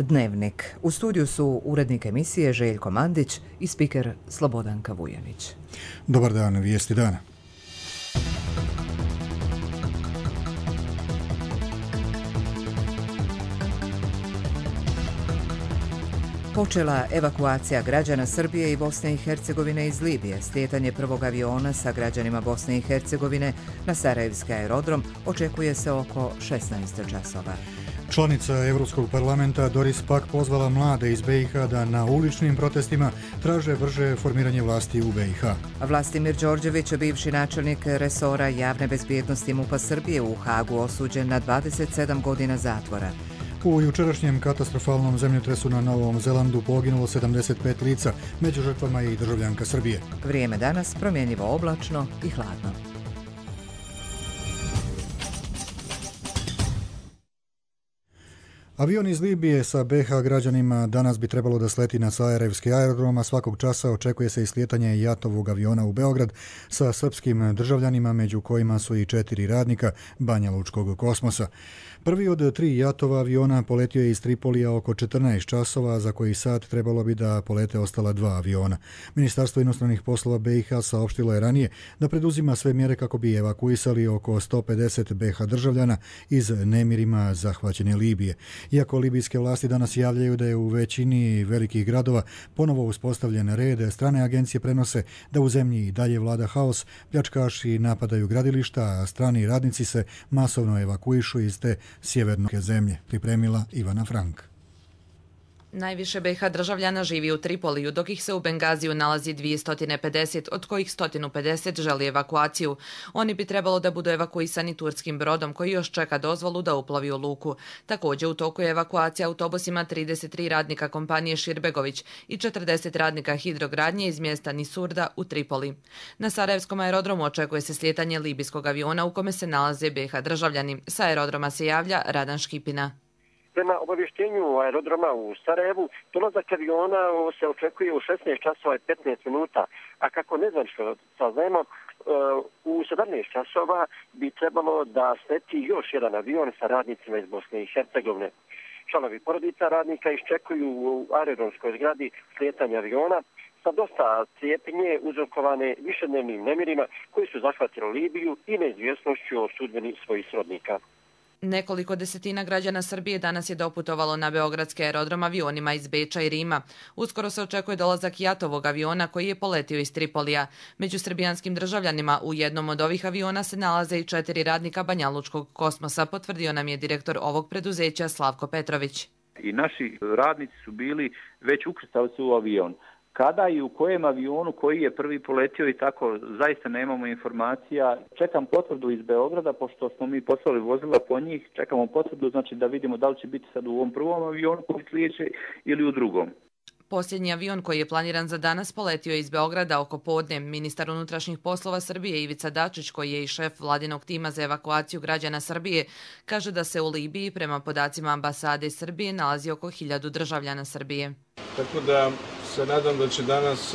Dnevnik. U studiju su urednik emisije Željko Mandić i spiker Slobodanka Vujanić. Dobar dan, vijesti dana. Počela evakuacija građana Srbije i Bosne i Hercegovine iz Libije. Slijetanje prvog aviona sa građanima Bosne i Hercegovine na Sarajevski aerodrom očekuje se oko 16 časova. Članica Europskog parlamenta Doris Pack pozvala mlade iz BiH da na uličnim protestima traže brže formiranje vlasti u BiH. Vlastimir Đorđević, bivši načelnik resora javne bezbjednosti MUP-a Srbije, u Hagu osuđen na 27 godina zatvora. U jučerašnjem katastrofalnom zemljotresu na Novom Zelandu poginulo 75 lica, među žrtvama i državljanka Srbije. Vrijeme danas promjenjivo oblačno i hladno. Avion iz Libije sa BiH građanima danas bi trebalo da sleti na Sarajevski aerodrom, a svakog časa očekuje se i slijetanje jatovog aviona u Beograd sa srpskim državljanima, među kojima su i 4 radnika Banjalučkog kosmosa. Prvi od 3 jatova aviona poletio je iz Tripolija oko 14 časova, za koji sat trebalo bi da polete ostala 2 aviona. Ministarstvo inostranih poslova BiH saopštilo je ranije da preduzima sve mjere kako bi evakuisali oko 150 BiH državljana iz nemirima zahvaćene Libije. Iako libijske vlasti danas javljaju da je u većini velikih gradova ponovo uspostavljen red, strane agencije prenose da u zemlji i dalje vlada haos, pljačkaši napadaju gradilišta, a strani radnici se masovno evakuišu iz te sjeverne zemlje. Pripremila Ivana Frank. Najviše BiH državljana živi u Tripoliju, dok ih se u Bengaziju nalazi 250, od kojih 150 želi evakuaciju. Oni bi trebalo da budu evakuisani turskim brodom koji još čeka dozvolu da uplovi u luku. Također u toku je evakuacija autobusima 33 radnika kompanije Širbegović i 40 radnika hidrogradnje iz mjesta Nisurda u Tripoli. Na Sarajevskom aerodromu očekuje se slijetanje libijskog aviona u kome se nalaze BiH državljani. Sa aerodroma se javlja Radan Škipina. Prema obavještenju aerodroma u Sarajevu, dolazak aviona se očekuje u 16 časova i 15 minuta, a kako nezvanično saznajemo, u 17 časova bi trebalo da sleti još jedan avion sa radnicima iz Bosne i Hercegovine. Članovi porodica radnika iščekuju u aerodromskoj zgradi slijetanje aviona sa dosta cijepnje uzrokovane višednevnim nemirima koji su zahvatili Libiju i neizvjesnošću o sudbini svojih srodnika. Nekoliko desetina građana Srbije danas je doputovalo na beogradski aerodrom avionima iz Beča i Rima. Uskoro se očekuje dolazak jatovog aviona koji je poletio iz Tripolija. Među srbijanskim državljanima u jednom od ovih aviona se nalaze i 4 radnika Banjalučkog kosmosa, potvrdio nam je direktor ovog preduzeća Slavko Petrović. I naši radnici su bili već ukrcali se u avion. Kada i u kojem avionu, koji je prvi poletio i tako, zaista nemamo informacija. Čekam potvrdu iz Beograda, pošto smo mi poslali vozila po njih, čekamo potvrdu, znači da vidimo da li će biti sad u ovom prvom avionu koji slijeće ili u drugom. Posljednji avion koji je planiran za danas poletio je iz Beograda oko podne. Ministar unutrašnjih poslova Srbije Ivica Dačić, koji je i šef vladinog tima za evakuaciju građana Srbije, kaže da se u Libiji prema podacima ambasade Srbije nalazi oko 1000 državljana Srbije. Tako da se nadam da će danas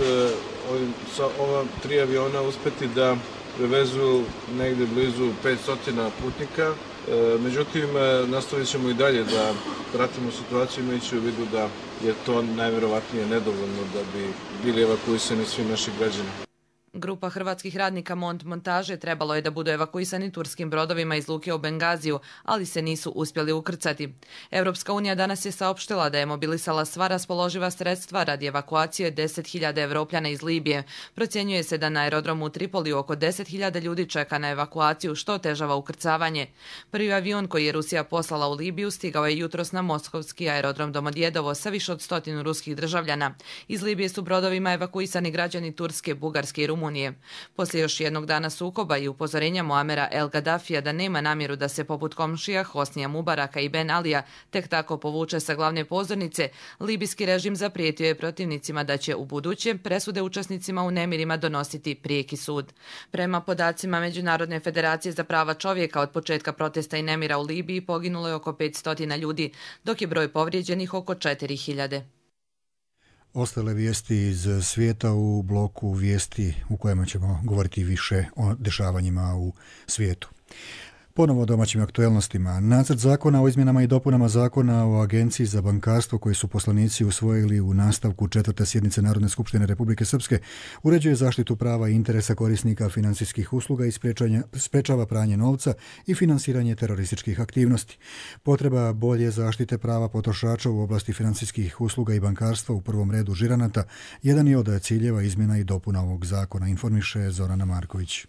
sa ova 3 aviona uspeti da prevezu negde blizu 500 putnika. Međutim, nastavit ćemo i dalje da pratimo situaciju, imajući u vidu da je to najvjerovatnije nedovoljno da bi bili evakuisani svi naši građani. Grupa hrvatskih radnika Mont Montaže trebalo je da budu evakuisani turskim brodovima iz luke u Bengaziju, ali se nisu uspjeli ukrcati. Europska unija danas je saopštila da je mobilisala sva raspoloživa sredstva radi evakuacije 10.000 Evropljana iz Libije. Procjenjuje se da na aerodromu u Tripoliju oko 10.000 ljudi čeka na evakuaciju, što otežava ukrcavanje. Prvi avion koji je Rusija poslala u Libiju stigao je jutros na moskovski aerodrom Domodjedovo sa više od 100 ruskih državljana. Iz Libije su brodovima evakuisani građani Turske, Bugarske i Rumunije. Poslije još jednog dana sukoba i upozorenja Muamera El Gaddafija da nema namjeru da se poput komšija Hosnija Mubaraka i Ben Alija tek tako povuče sa glavne pozornice, libijski režim zaprijetio je protivnicima da će u buduće presude učesnicima u nemirima donositi prijeki sud. Prema podacima Međunarodne federacije za prava čovjeka, od početka protesta i nemira u Libiji poginulo je oko 500 ljudi, dok je broj povrijeđenih oko 4000. Ostale vijesti iz svijeta u bloku vijesti u kojima ćemo govoriti više o dešavanjima u svijetu. Ponovo o domaćim aktuelnostima. Nacrt zakona o izmjenama i dopunama zakona o Agenciji za bankarstvo koji su poslanici usvojili u nastavku 4. sjednice Narodne skupštine Republike Srpske uređuje zaštitu prava i interesa korisnika financijskih usluga i sprečava pranje novca i finansiranje terorističkih aktivnosti. Potreba bolje zaštite prava potrošača u oblasti financijskih usluga i bankarstva u prvom redu žiranata jedan je od ciljeva izmjena i dopuna ovog zakona, informiše Zorana Marković.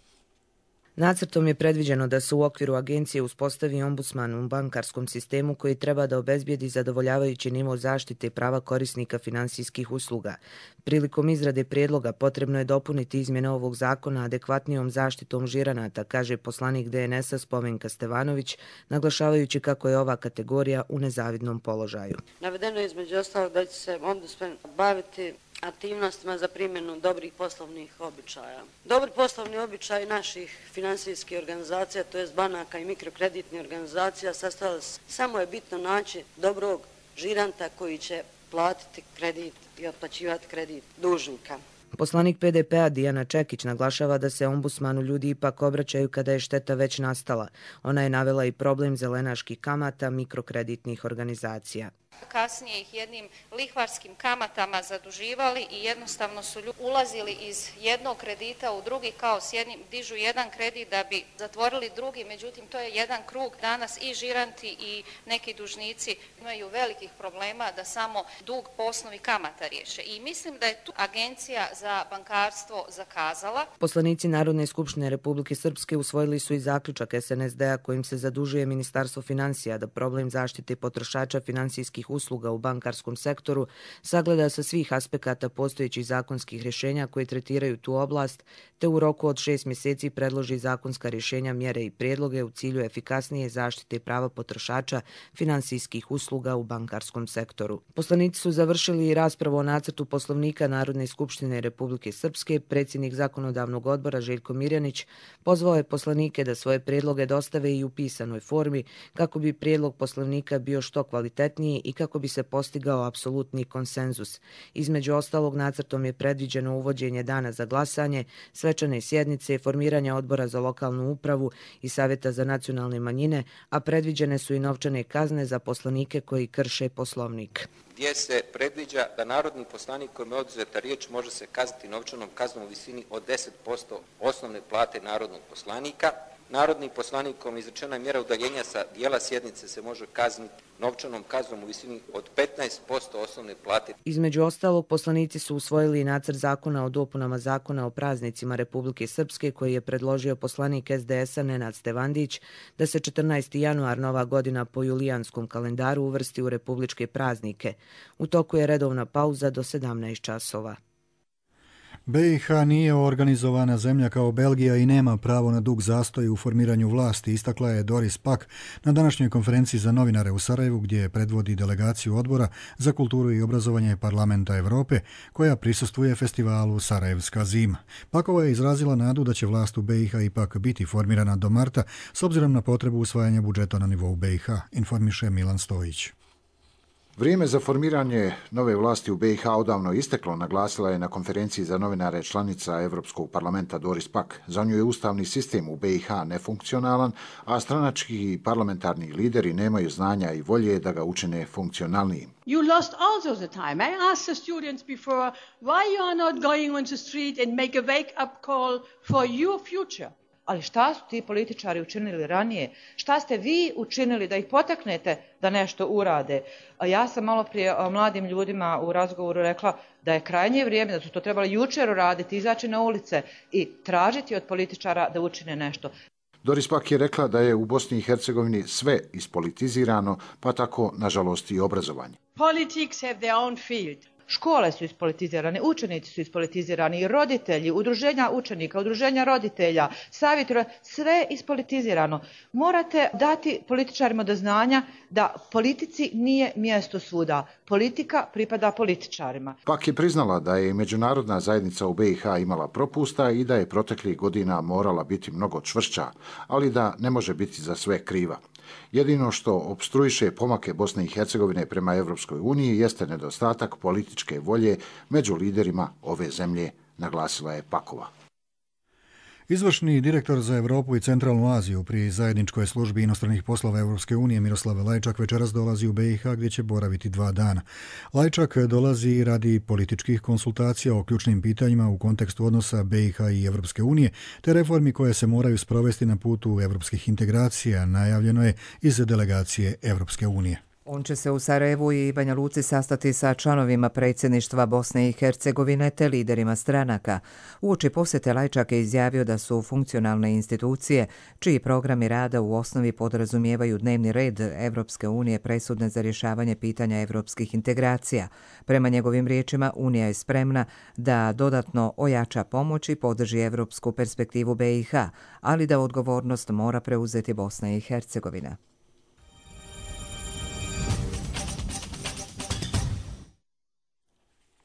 Nacrtom je predviđeno da se u okviru agencije uspostavi ombudsman u bankarskom sistemu koji treba da obezbijedi zadovoljavajući nivo zaštite i prava korisnika finansijskih usluga. Prilikom izrade prijedloga potrebno je dopuniti izmjene ovog zakona adekvatnijom zaštitom žiranata, kaže poslanik DNS-a Spomenka Stevanović, naglašavajući kako je ova kategorija u nezavidnom položaju. Navedeno je između ostalog da će se ombudsman baviti aktivnostima za primjenu dobrih poslovnih običaja. Dobri poslovni običaj naših finansijskih organizacija, to jest banaka i mikrokreditnih organizacija, sastavili samo je bitno naći dobrog žiranta koji će platiti kredit i otplaćivati kredit dužnika. Poslanik PDP-a Dijana Čekić naglašava da se ombudsmanu ljudi ipak obraćaju kada je šteta već nastala. Ona je navela i problem zelenaških kamata mikrokreditnih organizacija. Kasnije ih jednim lihvarskim kamatama zaduživali i jednostavno su ulazili iz jednog kredita u drugi, kao s jednim dižu jedan kredit da bi zatvorili drugi, međutim to je jedan krug. Danas i žiranti i neki dužnici imaju velikih problema da samo dug po osnovi kamata riješe. I mislim da je tu Agencija za bankarstvo zakazala. Poslanici Narodne skupštine Republike Srpske usvojili su i zaključak SNSD-a kojim se zadužuje Ministarstvo financija da problem zaštite potrošača finansijskih usluga u bankarskom sektoru sagleda sa svih aspekata postojećih zakonskih rješenja koje tretiraju tu oblast, te u roku od 6 mjeseci predloži zakonska rješenja, mjere i prijedloge u cilju efikasnije zaštite prava potrošača finansijskih usluga u bankarskom sektoru. Poslanici su završili i raspravu o nacrtu Poslovnika Narodne skupštine Republike Srpske. Predsjednik Zakonodavnog odbora Željko Mirjanić pozvao je poslanike da svoje prijedloge dostave i u pisanoj formi kako bi prijedlog Poslovnika bio što kvalitetniji i kako bi se postigao apsolutni konsenzus. Između ostalog, nacrtom je predviđeno uvođenje dana za glasanje, svečane sjednice, formiranja odbora za lokalnu upravu i savjeta za nacionalne manjine, a predviđene su i novčane kazne za poslanike koji krše Poslovnik. Gdje se predviđa da narodni poslanik kojim je oduzeta riječ može se kazniti novčanom kaznom u visini od 10% osnovne plate narodnog poslanika. Narodnim poslanikom izrečena mjera udaljenja sa dijela sjednice se može kazniti novčanom kaznom u visini od 15% osnovne plate. Između ostalog, poslanici su usvojili i nacrt zakona o dopunama zakona o praznicima Republike Srpske koji je predložio poslanik SDS-a Nenad Stevandić da se 14. januar nova godina po julijanskom kalendaru uvrsti u republičke praznike. U toku je redovna pauza do 17 časova. BiH nije organizovana zemlja kao Belgija i nema pravo na dug zastoj u formiranju vlasti, istakla je Doris Pack na današnjoj konferenciji za novinare u Sarajevu gdje predvodi delegaciju Odbora za kulturu i obrazovanje Parlamenta Evrope koja prisustvuje festivalu Sarajevska zima. Pakova je izrazila nadu da će vlast u BiH ipak biti formirana do marta s obzirom na potrebu usvajanja budžeta na nivou BiH, informiše Milan Stojić. Vrijeme za formiranje nove vlasti u BiH odavno isteklo, naglasila je na konferenciji za novinare članica Evropskog parlamenta Doris Pack. Za nju je ustavni sistem u BiH nefunkcionalan, a stranački i parlamentarni lideri nemaju znanja i volje da ga učine funkcionalnijim. You lost also the time. I asked the students before why you are not going on the street and make a wake-up call for your future. Ali šta su ti političari učinili ranije? Šta ste vi učinili da ih potaknete da nešto urade? Ja sam malo prije mladim ljudima u razgovoru rekla da je krajnje vrijeme, da su to trebali jučer uraditi, izaći na ulice i tražiti od političara da učine nešto. Doris Pack je rekla da je u Bosni i Hercegovini sve ispolitizirano, pa tako, nažalost, i obrazovanje. Politics have their own field. Škole su ispolitizirane, učenici su ispolitizirani, roditelji, udruženja učenika, udruženja roditelja, savjetora, sve ispolitizirano. Morate dati političarima do znanja da politici nije mjesto svuda. Politika pripada političarima. Pak je priznala da je međunarodna zajednica u BiH imala propusta i da je proteklih godina morala biti mnogo čvršća, ali da ne može biti za sve kriva. Jedino što opstruiše pomake Bosne i Hercegovine prema Evropskoj uniji jeste nedostatak političke volje među liderima ove zemlje, naglasila je Pakova. Izvršni direktor za Europu i Centralnu Aziju pri zajedničkoj službi inostranih poslova Europske unije Miroslav Lajčak večeras dolazi u BiH gdje će boraviti 2 dana. Lajčak dolazi radi političkih konsultacija o ključnim pitanjima u kontekstu odnosa BiH i Europske unije te reformi koje se moraju sprovesti na putu europskih integracija, najavljeno je iz delegacije Europske unije. On će se u Sarajevu i Banja Luci sastati sa članovima predsjedništva Bosne i Hercegovine te liderima stranaka. Uoči posjete Lajčak je izjavio da su funkcionalne institucije, čiji programi rada u osnovi podrazumijevaju dnevni red Evropske unije presudne za rješavanje pitanja evropskih integracija. Prema njegovim riječima, Unija je spremna da dodatno ojača pomoć i podrži evropsku perspektivu BiH, ali da odgovornost mora preuzeti Bosna i Hercegovina.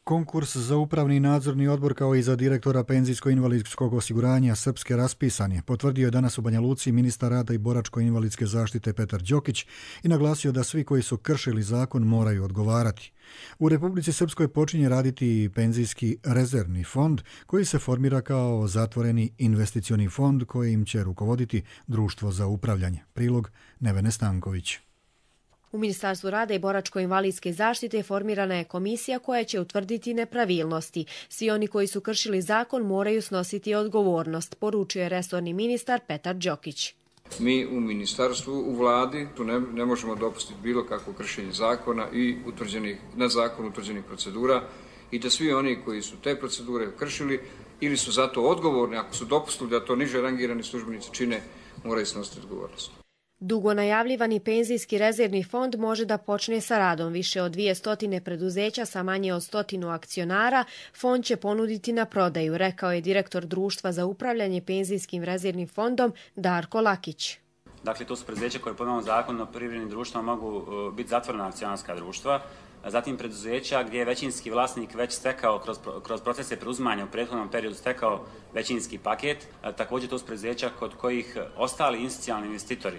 Konkurs za upravni i nadzorni odbor kao i za direktora penzijsko-invalidskog osiguranja Srpske raspisan je, potvrdio je danas u Banja Luci ministar rada i boračko-invalidske zaštite Petar Đokić i naglasio da svi koji su kršili zakon moraju odgovarati. U Republici Srpskoj počinje raditi penzijski rezervni fond koji se formira kao zatvoreni investicioni fond kojim će rukovoditi Društvo za upravljanje. Prilog Nevene Stanković. U Ministarstvu rada i boračko-invalidske zaštite formirana je komisija koja će utvrditi nepravilnosti. Svi oni koji su kršili zakon moraju snositi odgovornost, poručio je resorni ministar Petar Đokić. Mi u ministarstvu, u vladi, tu ne možemo dopustiti bilo kakvo kršenje zakona i na zakon utvrđenih procedura i da svi oni koji su te procedure kršili ili su zato odgovorni, ako su dopustili da to niže rangirani službenici čine, moraju snositi odgovornost. Dugo najavljivani penzijski rezervni fond može da počne sa radom. Više od 200 preduzeća sa manje od 100 akcionara fond će ponuditi na prodaju, rekao je direktor Društva za upravljanje penzijskim rezervnim fondom Darko Lakić. Dakle, to su preduzeća koje po novom zakonu o privrednim društvima mogu biti zatvorena akcionarska društva. Zatim preduzeća gdje je većinski vlasnik već stekao kroz procese preuzimanja u prethodnom periodu stekao većinski paket. Također to su preduzeća kod kojih ostali institucionalni investitori,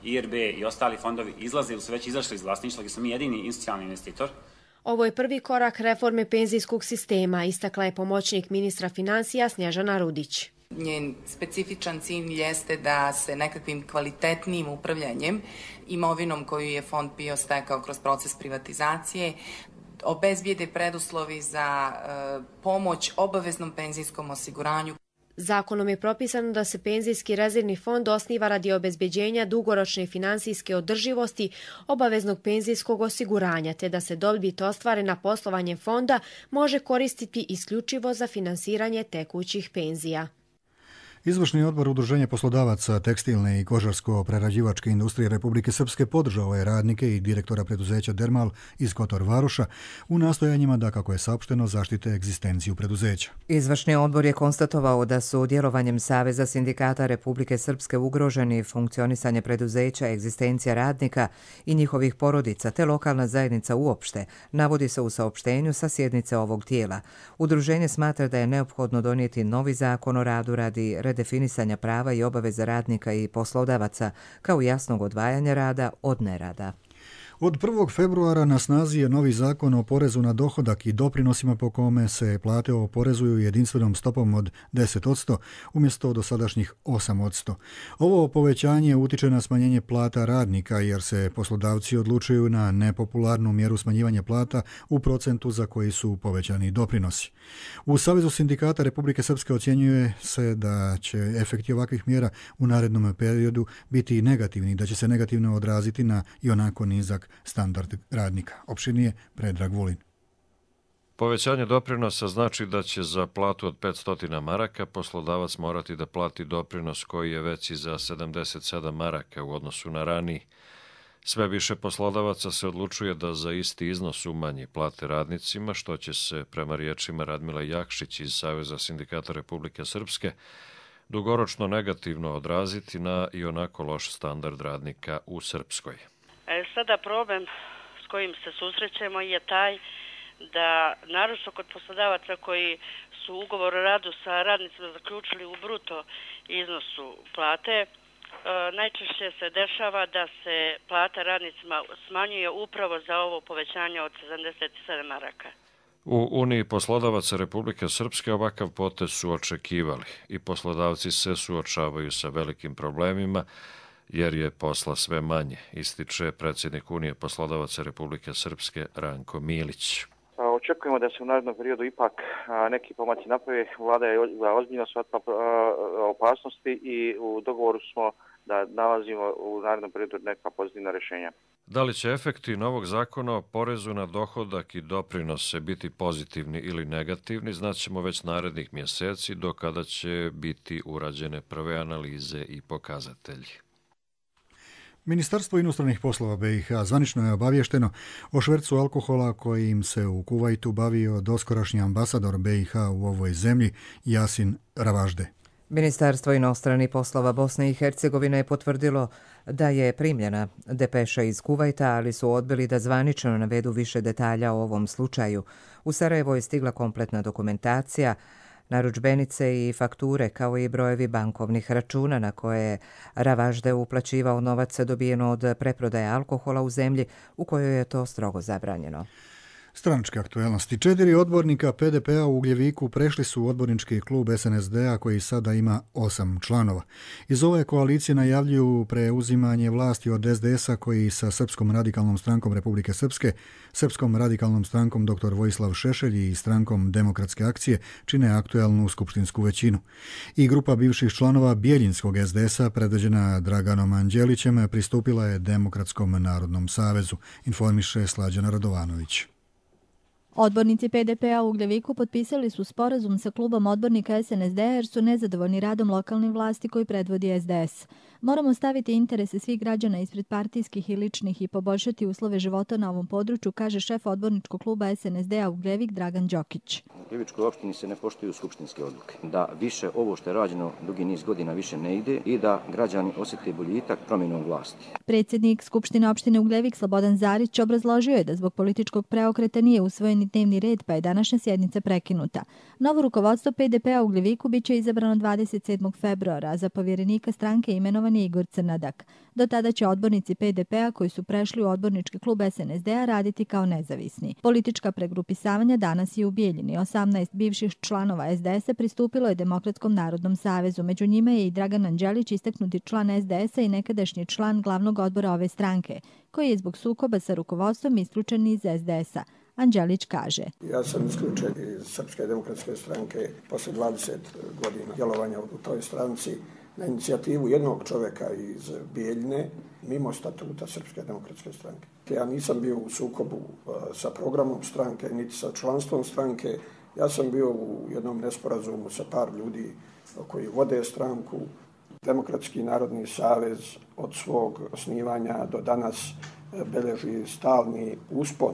IRB i ostali fondovi izlaze ili su već izašli iz vlasništva, gdje smo mi jedini institucionalni investitor. Ovo je prvi korak reforme penzijskog sistema, istakla je pomoćnik ministra financija Snježana Rudić. Njen specifičan cilj jeste da se nekakvim kvalitetnijim upravljanjem imovinom koju je fond PIO stekao kroz proces privatizacije obezbijede preduslovi za pomoć obaveznom penzijskom osiguranju. Zakonom je propisano da se penzijski rezervni fond osniva radi obezbeđenja dugoročne finansijske održivosti obaveznog penzijskog osiguranja, te da se dobit ostvarena poslovanjem fonda može koristiti isključivo za finansiranje tekućih penzija. Izvršni odbor Udruženja poslodavaca tekstilne i kožarsko-prerađivačke industrije Republike Srpske podržao je radnike i direktora preduzeća Dermal iz Kotor Varoša u nastojanjima da, kako je saopšteno, zaštite egzistenciju preduzeća. Izvršni odbor je konstatovao da su djelovanjem Saveza sindikata Republike Srpske ugroženi funkcionisanje preduzeća, egzistencija radnika i njihovih porodica te lokalna zajednica uopšte, navodi se u saopštenju sa sjednice ovog tijela. Udruženje smatra da je neophodno donijeti novi zakon o radu radi redefinisanja prava i obaveza radnika i poslodavaca, kao jasnog odvajanja rada od nerada. Od 1. februara na snazi je novi zakon o porezu na dohodak i doprinosima po kome se plate oporezuju jedinstvenom stopom od 10% umjesto dosadašnjih 8%. Ovo povećanje utiče na smanjenje plata radnika jer se poslodavci odlučuju na nepopularnu mjeru smanjivanja plata u procentu za koji su povećani doprinosi. U Savezu sindikata Republike Srpske ocjenjuje se da će efekti ovakvih mjera u narednom periodu biti negativni, da će se negativno odraziti na ionako nizak standard radnika. Opširnije Predrag Vulin. Povećanje doprinosa znači da će za platu od 500 maraka poslodavac morati da plati doprinos koji je veći za 77 maraka u odnosu na raniji. Sve više poslodavaca se odlučuje da za isti iznos umanji plate radnicima, što će se, prema riječima Radmila Jakšić iz Saveza sindikata Republike Srpske, dugoročno negativno odraziti na ionako loš standard radnika u Srpskoj. Sada problem s kojim se susrećemo je taj da, naročito kod poslodavaca koji su ugovor o radu sa radnicima zaključili u bruto iznosu plate, najčešće se dešava da se plata radnicima smanjuje upravo za ovo povećanje od 77 maraka. U Uniji poslodavaca Republike Srpske ovakav potez su očekivali i poslodavci se suočavaju sa velikim problemima jer je posla sve manje, ističe predsjednik Unije poslodavaca Republike Srpske Ranko Milić. Očekujemo da se u narednom periodu ipak neki pomaci naprave. Vlada je ozbiljno shvatila opasnosti i u dogovoru smo da nalazimo u narednom periodu neka pozitivna rješenja. Da li će efekti novog zakona o porezu na dohodak i doprinose biti pozitivni ili negativni, znaćemo već narednih mjeseci, do kada će biti urađene prve analize i pokazatelji. Ministarstvo inostranih poslova BiH zvanično je obavješteno o švercu alkohola kojim se u Kuvajtu bavio doskorašnji ambasador BiH u ovoj zemlji Jasin Ravažde. Ministarstvo inostranih poslova Bosne i Hercegovine je potvrdilo da je primljena depeša iz Kuvajta, ali su odbili da zvanično navedu više detalja o ovom slučaju. U Sarajevo je stigla kompletna dokumentacija, narudžbenice i fakture, kao i brojevi bankovnih računa na koje je Ravažde uplaćivao novac dobijen od preprodaje alkohola u zemlji u kojoj je to strogo zabranjeno. Stranačke aktuelnosti. 4 odbornika PDP-a u Ugljeviku prešli su u odbornički klub SNSD-a koji sada ima 8 članova. Iz ove koalicije najavljuju preuzimanje vlasti od SDS-a koji sa Srpskom radikalnom strankom Republike Srpske, Srpskom radikalnom strankom dr. Vojislav Šešelj i strankom Demokratske akcije čine aktuelnu skupštinsku većinu. I grupa bivših članova Bijeljinskog SDS-a predvođena Draganom Anđelićem pristupila je Demokratskom narodnom savezu, informiše Slađana Radovanović. Odbornici PDP-a u Ugljeviku potpisali su sporazum sa klubom odbornika SNSD jer su nezadovoljni radom lokalnih vlasti koji predvodi SDS. Moramo staviti interese svih građana ispred partijskih i ličnih i poboljšati uslove života na ovom području, kaže šef odborničkog kluba SNSD-a Ugljevik Dragan Đokić. U Ugljevičkoj opštini se ne poštuju skupštinske odluke. Da više ovo što je rađeno dugi niz godina više ne ide i da građani osjete boljitak promjenom vlasti. Predsjednik Skupštine opštine Ugljevik Slobodan Zarić obrazložio je da zbog političkog preokreta nije usvojen dnevni red, pa je današnja sjednica prekinuta. Novo rukovodstvo PDP-a u Ugljeviku biće izabrano 27. februara, a za povjerenika stranke imenovan je Igor Crnadak. Do tada će odbornici PDP-a koji su prešli u odbornički klub SNSD-a raditi kao nezavisni. Politička pregrupisavanja danas je u Bijeljini. 18 bivših članova SDS-a pristupilo je Demokratskom narodnom savezu. Među njima je i Dragan Anđelić, istaknuti član SDS-a i nekadašnji član glavnog odbora ove stranke, koji je zbog sukoba sa rukovodstvom isključen iz SDS-a. Anđelić kaže: Ja sam isključen iz Srpske demokratske stranke posle 20 godina djelovanja u toj stranci na inicijativu jednog čovjeka iz Bijeljine, mimo statuta Srpske demokratske stranke. Ja nisam bio u sukobu sa programom stranke, niti sa članstvom stranke. Ja sam bio u jednom nesporazumu sa par ljudi koji vode stranku. Demokratski narodni savez od svog osnivanja do danas beleži stalni uspon.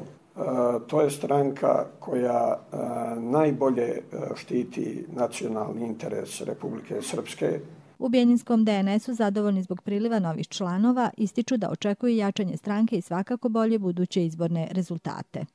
To je stranka koja najbolje štiti nacionalni interes Republike Srpske. U Bijeljinskom DNS-u zadovoljni zbog priliva novih članova ističu da očekuju jačanje stranke i svakako bolje buduće izborne rezultate.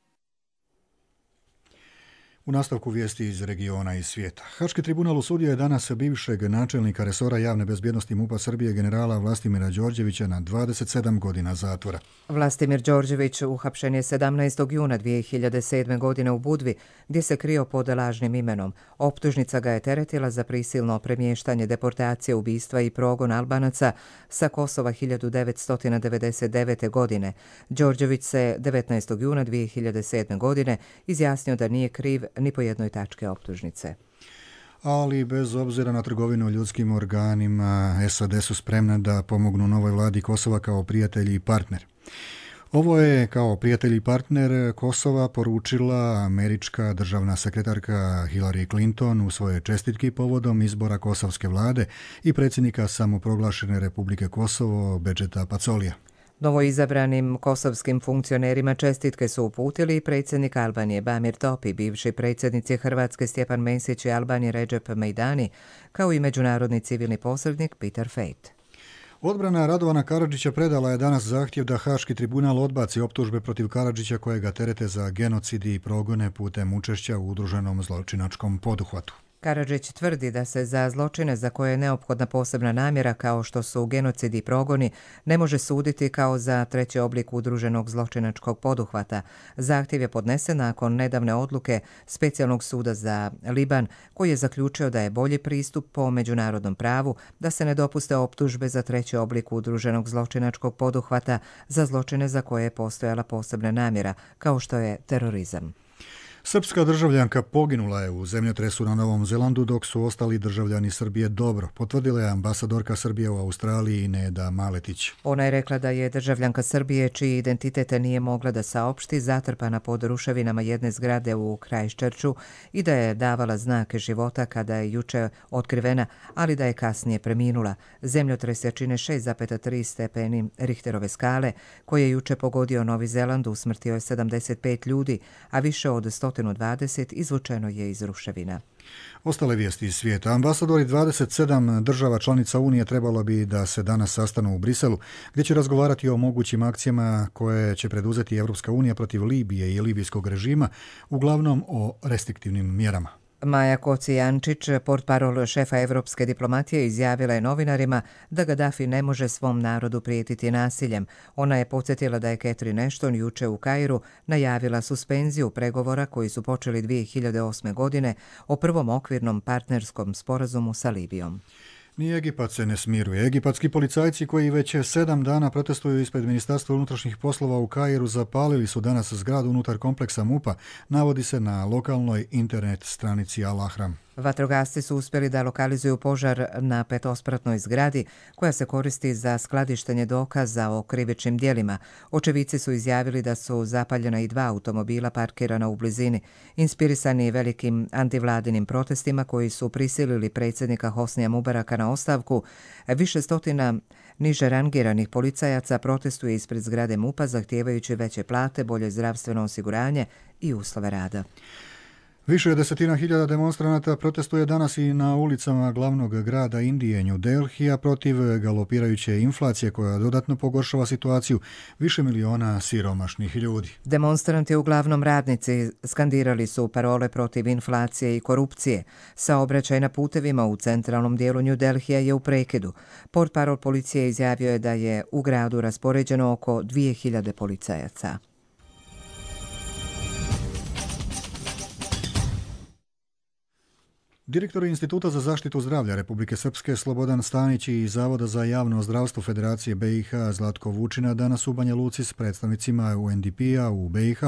U nastavku vijesti iz regiona i svijeta. Haški tribunal osudio je danas bivšeg načelnika resora javne bezbjednosti MUP-a Srbije generala Vlastimira Đorđevića na 27 godina zatvora. Vlastimir Đorđević uhapšen je 17. juna 2007. godine u Budvi, gdje se krio pod lažnim imenom. Optužnica ga je teretila za prisilno premještanje, deportacije, ubistva i progon Albanaca sa Kosova 1999. godine. Đorđević se 19. juna 2007. godine izjasnio da nije kriv ni po jednoj tačke optužnice. Ali bez obzira na trgovinu ljudskim organima, SAD su spremne da pomognu novoj vladi Kosova kao prijatelji i partner. Ovo je kao prijatelj i partner Kosova poručila američka državna sekretarka Hillary Clinton u svojoj čestitki povodom izbora kosovske vlade i predsjednika samoproglašene Republike Kosovo Bedžeta Pacolija. Novoizabranim kosovskim funkcionerima čestitke su uputili predsjednik Albanije Bamir Topi, bivši predsjednici Hrvatske Stjepan Mesić i Albanije Recep Mejdani, kao i međunarodni civilni posrednik Peter Fejt. Odbrana Radovana Karadžića predala je danas zahtjev da Haški tribunal odbaci optužbe protiv Karadžića koje ga terete za genocid i progone putem učešća u udruženom zločinačkom poduhvatu. Karadžić tvrdi da se za zločine za koje je neophodna posebna namjera kao što su genocid i progoni ne može suditi kao za treći oblik udruženog zločinačkog poduhvata. Zahtjev je podnesen nakon nedavne odluke Specijalnog suda za Liban koji je zaključio da je bolji pristup po međunarodnom pravu da se ne dopuste optužbe za treći oblik udruženog zločinačkog poduhvata za zločine za koje je postojala posebna namjera kao što je terorizam. Srpska državljanka poginula je u zemljotresu na Novom Zelandu dok su ostali državljani Srbije dobro, potvrdila je ambasadorka Srbije u Australiji Neda Maletić. Ona je rekla da je državljanka Srbije čiji identitet nije mogla da saopšti zatrpana pod ruševinama jedne zgrade u Christchurchu i da je davala znake života kada je juče otkrivena, ali da je kasnije preminula. Zemljotres je čine 6,3 stepeni Richterove skale koji je juče pogodio Novi Zeland, usmrtio je 75 ljudi, a više od 120 izvučeno je iz ruševina. Ostale vijesti iz svijeta. Ambasadori 27 država članica Unije trebalo bi da se danas sastanu u Briselu, gdje će razgovarati o mogućim akcijama koje će preduzeti Evropska unija protiv Libije i libijskog režima, uglavnom o restriktivnim mjerama. Maja Kocijančić, portparol šefa evropske diplomatije, izjavila je novinarima da Gaddafi ne može svom narodu prijetiti nasiljem. Ona je podsjetila da je Catherine Ashton juče u Kairu najavila suspenziju pregovora koji su počeli 2008. godine o prvom okvirnom partnerskom sporazumu sa Libijom. Ni Egipat se ne smiruje. Egipatski policajci koji već 7 dana protestuju ispred Ministarstva unutrašnjih poslova u Kairu zapalili su danas zgradu unutar kompleksa MUP-a, navodi se na lokalnoj internet stranici Al Ahram. Vatrogasci su uspjeli da lokalizuju požar na petospratnoj zgradi koja se koristi za skladištenje dokaza o krivičnim djelima. Očevici su izjavili da su zapaljena i 2 automobila parkirana u blizini. Inspirisani velikim antivladinim protestima koji su prisilili predsjednika Hosnija Mubaraka na ostavku, više stotina niže rangiranih policajaca protestuje ispred zgrade MUP-a zahtijevajući veće plate, bolje zdravstveno osiguranje i uslove rada. Više od 10.000 demonstranata protestuje danas i na ulicama glavnog grada Indije, New Delhija, protiv galopirajuće inflacije koja dodatno pogoršava situaciju više miliona siromašnih ljudi. Demonstranti, uglavnom radnici, skandirali su parole protiv inflacije i korupcije. Saobraćaj na putevima u centralnom dijelu New Delhija je u prekidu. Portparol policije izjavio je da je u gradu raspoređeno oko 2.000 policajaca. Direktor Instituta za zaštitu zdravlja Republike Srpske Slobodan Stanić i Zavoda za javno zdravstvo Federacije BiH Zlatko Vučina danas u Banja Luci s predstavnicima UNDP-a u BiH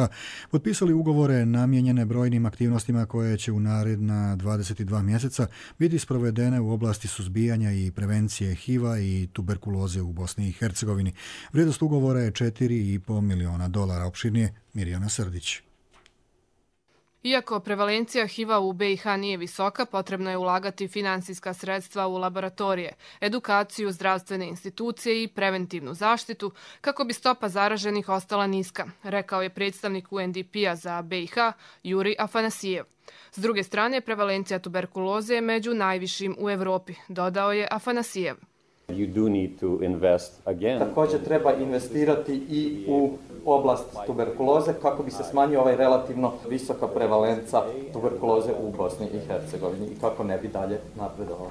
potpisali ugovore namijenjene brojnim aktivnostima koje će u naredna 22 mjeseca biti sprovedene u oblasti suzbijanja i prevencije HIV-a i tuberkuloze u Bosni i Hercegovini. Vrijednost ugovora je $4,5 miliona. Opširnije Mirjana Srdić. Iako prevalencija HIV-a u BiH nije visoka, potrebno je ulagati finansijska sredstva u laboratorije, edukaciju, zdravstvene institucije i preventivnu zaštitu kako bi stopa zaraženih ostala niska, rekao je predstavnik UNDP-a za BiH Juri Afanasijev. S druge strane, prevalencija tuberkuloze je među najvišim u Evropi, dodao je Afanasijev. Također treba investirati i u oblast tuberkuloze kako bi se smanjio ovaj relativno visoka prevalenca tuberkuloze u Bosni i Hercegovini i kako ne bi dalje napredovalo.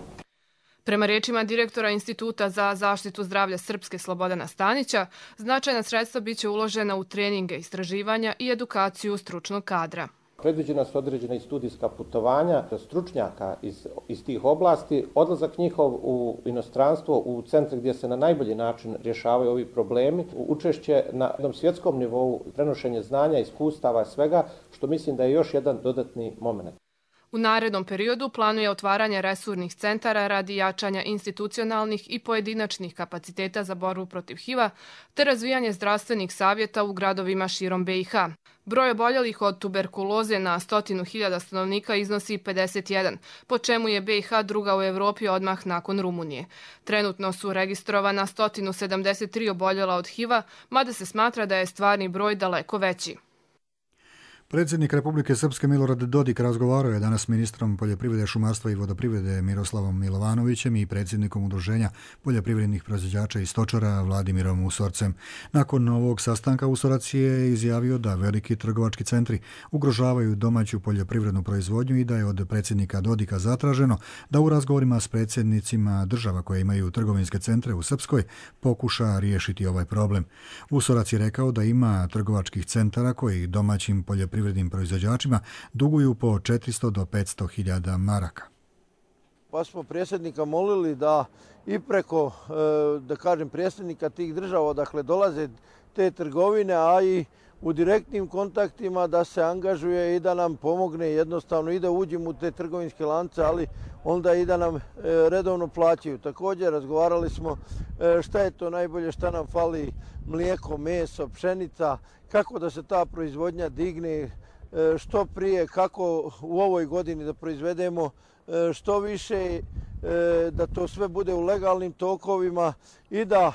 Prema rečima direktora Instituta za zaštitu zdravlja Srpske Slobodana Stanića, značajna sredstva biće uložena u treninge, istraživanja i edukaciju stručnog kadra. Predviđena su određena i studijska putovanja stručnjaka iz tih oblasti, odlazak njihov u inostranstvo, u centre gdje se na najbolji način rješavaju ovi problemi, učešće na jednom svjetskom nivou, prenošenje znanja, iskustava, svega, što mislim da je još jedan dodatni moment. U narednom periodu planuje otvaranje resurnih centara radi jačanja institucionalnih i pojedinačnih kapaciteta za borbu protiv HIV-a te razvijanje zdravstvenih savjeta u gradovima širom BiH. Broj oboljelih od tuberkuloze na 100.000 stanovnika iznosi 51, po čemu je BiH druga u Evropi odmah nakon Rumunije. Trenutno su registrovana 173 oboljela od HIV-a, mada se smatra da je stvarni broj daleko veći. Predsjednik Republike Srpske Milorad Dodik razgovarao je danas s ministrom poljoprivrede, šumarstva i vodoprivrede Miroslavom Milovanovićem i predsjednikom Udruženja poljoprivrednih proizvođača i stočara Vladimirom Usorcem. Nakon ovog sastanka Usorac je izjavio da veliki trgovački centri ugrožavaju domaću poljoprivrednu proizvodnju i da je od predsjednika Dodika zatraženo da u razgovorima s predsjednicima država koje imaju trgovinske centre u Srpskoj pokuša riješiti ovaj problem. Usorac je rekao da ima trgovačkih centara koji domaćim poljoprivrednim proizvođačima duguju po 400 do 500 hiljada maraka. Pa smo predsjednika molili da i preko, da kažem, predsjednika tih država, dakle dolaze te trgovine, a i u direktnim kontaktima da se angažuje i da nam pomogne jednostavno i da uđemo u te trgovinske lance, ali onda i da nam redovno plaćaju. Također razgovarali smo šta je to najbolje, šta nam fali, mlijeko, meso, pšenica, kako da se ta proizvodnja digne što prije, kako u ovoj godini da proizvedemo što više, da to sve bude u legalnim tokovima i da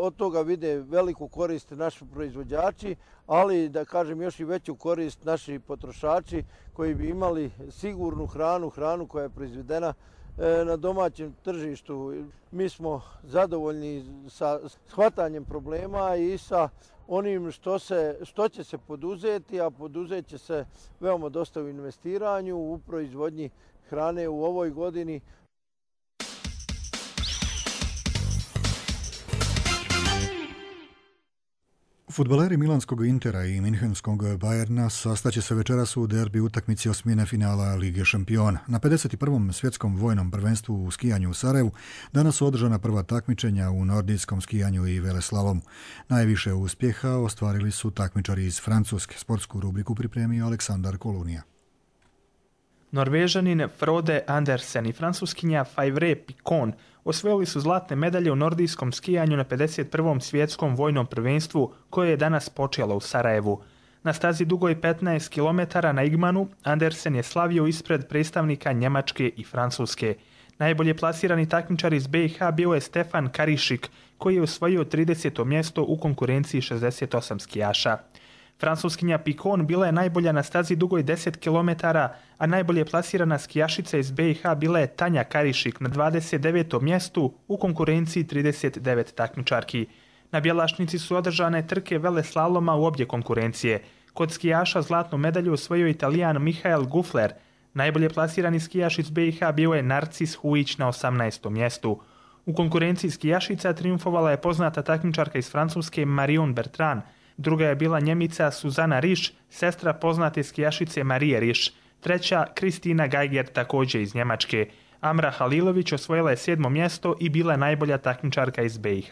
od toga vide veliku korist naši proizvođači, ali da kažem još i veću korist naši potrošači koji bi imali sigurnu hranu koja je proizvedena na domaćem tržištu. Mi smo zadovoljni sa shvatanjem problema i sa onim što će se poduzeti, a poduzet će se veoma dosta u investiranju, u proizvodnji hrane u ovoj godini. Fudbaleri milanskog Intera i minhenskog Bayerna sastaće se večeras u derbi utakmici osmine finala Lige šampiona. Na 51. svjetskom vojnom prvenstvu u skijanju u Sarajevu danas su održana prva takmičenja u nordijskom skijanju i veleslalomu. Najviše uspjeha ostvarili su takmičari iz Francuske. Sportsku rubriku pripremio Aleksandar Kolunija. Norvežanin Frode Andersen i francuskinja Favre Picon osvojili su zlatne medalje u nordijskom skijanju na 51. svjetskom vojnom prvenstvu koje je danas počelo u Sarajevu. Na stazi dugoj 15 km na Igmanu Andersen je slavio ispred predstavnika Njemačke i Francuske. Najbolje plasirani takmičar iz BiH bio je Stefan Karišik koji je osvojio 30. mjesto u konkurenciji 68 skijaša. Francuskinja Picon bila je najbolja na stazi dugoj 10 km, a najbolje plasirana skijašica iz BiH bila je Tanja Karišik na 29. mjestu u konkurenciji 39 takmičarki. Na Bjelašnici su održane trke veleslaloma u obje konkurencije. Kod skijaša zlatnu medalju osvojio Italijan Michael Gufler. Najbolje plasirani skijaš iz BiH bio je Narcis Hujić na 18. mjestu. U konkurenciji skijašica triumfovala je poznata takmičarka iz Francuske Marion Bertrand. Druga je bila Njemica Suzana Riš, sestra poznate skijašice Marije Riš. Treća, Kristina Geiger, također iz Njemačke. Amra Halilović osvojila je 7. mjesto i bila je najbolja takmičarka iz BiH.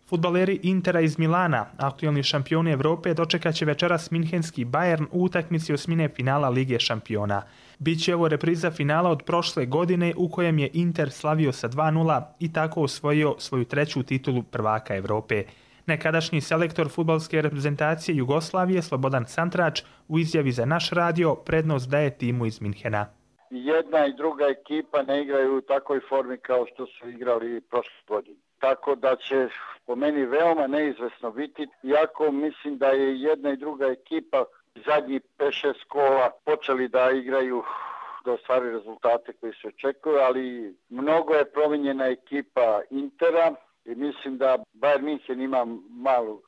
Fudbaleri Intera iz Milana, aktualni šampioni Evrope, dočekat će večeras minhenski Bayern u utakmici osmine finala Lige šampiona. Biće ovo repriza finala od prošle godine u kojem je Inter slavio sa 2:0 i tako osvojio svoju treću titulu prvaka Evrope. Nekadašnji selektor fudbalske reprezentacije Jugoslavije Slobodan Santrač u izjavi za naš radio prednost daje timu iz Minhena. Jedna i druga ekipa ne igraju u takvoj formi kao što su igrali prošle godine. Tako da će po meni veoma neizvesno biti, iako mislim da je jedna i druga ekipa zadnjih 5-6 kola počeli da igraju, da ostvaruju rezultate koji se očekuju, ali mnogo je promijenjena ekipa Intera i mislim da Bayern München ima malu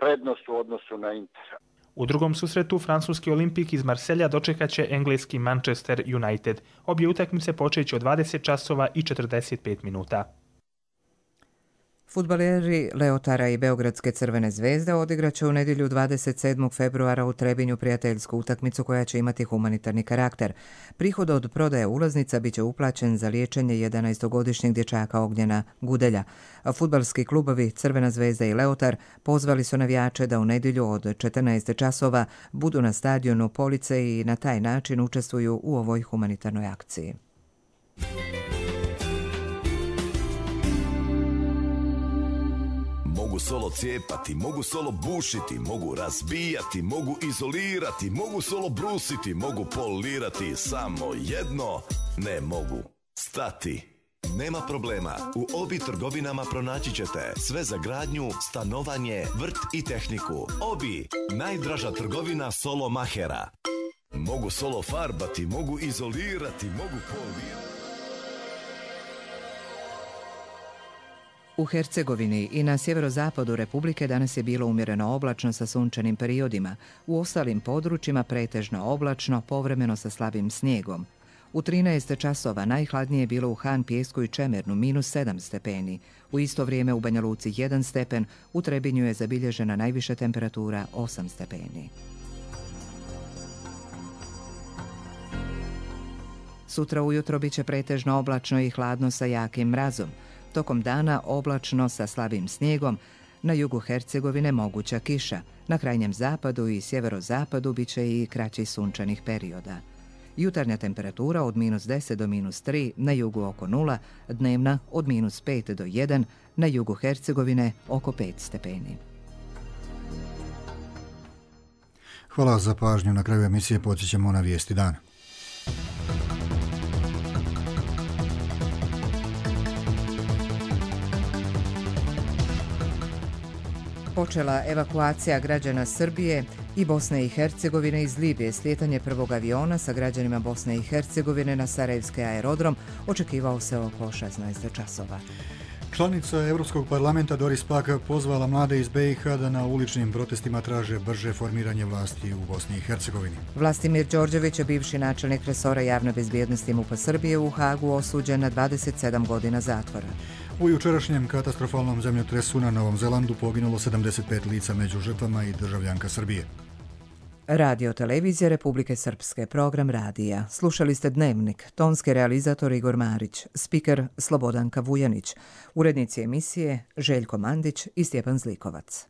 prednost u odnosu na Intera. U drugom susretu francuski Olimpik iz Marselja dočekat će engleski Manchester United. Obje utakmice počeće od 20 časova i 45 minuta. Fudbaleri Leotara i Beogradske Crvene zvezde odigraće u nedjelju 27. februara u Trebinju prijateljsku utakmicu koja će imati humanitarni karakter. Prihod od prodaje ulaznica biće uplaćen za liječenje 11-godišnjeg dječaka Ognjena Gudelja. Fudbalski klubovi Crvena zvezda i Leotar pozvali su navijače da u nedjelju od 14 časova budu na stadionu Police i na taj način učestvuju u ovoj humanitarnoj akciji. Mogu solo cijepati, mogu solo bušiti, mogu razbijati, mogu izolirati, mogu solo brusiti, mogu polirati, samo jedno ne mogu stati. Nema problema, u Obi trgovinama pronaći ćete sve za gradnju, stanovanje, vrt i tehniku. Obi, najdraža trgovina solo mahera. Mogu solo farbati, mogu izolirati, mogu polirati. U Hercegovini i na sjeverozapadu Republike danas je bilo umjereno oblačno sa sunčanim periodima. U ostalim područjima pretežno oblačno, povremeno sa slabim snijegom. U 13 časova najhladnije je bilo u Han, Pijesku i Čemernu -7 stepeni. U isto vrijeme u Banja Luci 1 stepen, u Trebinju je zabilježena najviša temperatura 8 stepeni. Sutra ujutro bit će pretežno oblačno i hladno sa jakim mrazom. Tokom dana oblačno sa slabim snijegom, na jugu Hercegovine moguća kiša, na krajnjem zapadu i sjeverozapadu bit će i kraćih sunčanih perioda. Jutarnja temperatura od -10 do -3, na jugu oko 0, dnevna od -5 do 1, na jugu Hercegovine oko 5 stepeni. Hvala za pažnju. Na kraju emisije podsjećamo na vijesti dana. Počela evakuacija građana Srbije i Bosne i Hercegovine iz Libije. Slijetanje prvog aviona sa građanima Bosne i Hercegovine na Sarajevski aerodrom očekivao se oko 16 časova. Članica Europskog parlamenta Doris Pack pozvala mlade iz BiH da na uličnim protestima traže brže formiranje vlasti u Bosni i Hercegovini. Vlastimir Đorđević, bivši načelnik resora javne bezbjednosti MUP-a Srbije, u Hagu osuđen na 27 godina zatvora. U jučerašnjem katastrofalnom zemljotresu na Novom Zelandu poginulo 75 lica, među žrtvama i državljanka Srbije. Radio Televizija Republike Srpske, program radija. Slušali ste Dnevnik, tonski realizator Igor Marić, spiker Slobodanka Vujanić, urednici emisije Željko Mandić i Stjepan Zlikovac.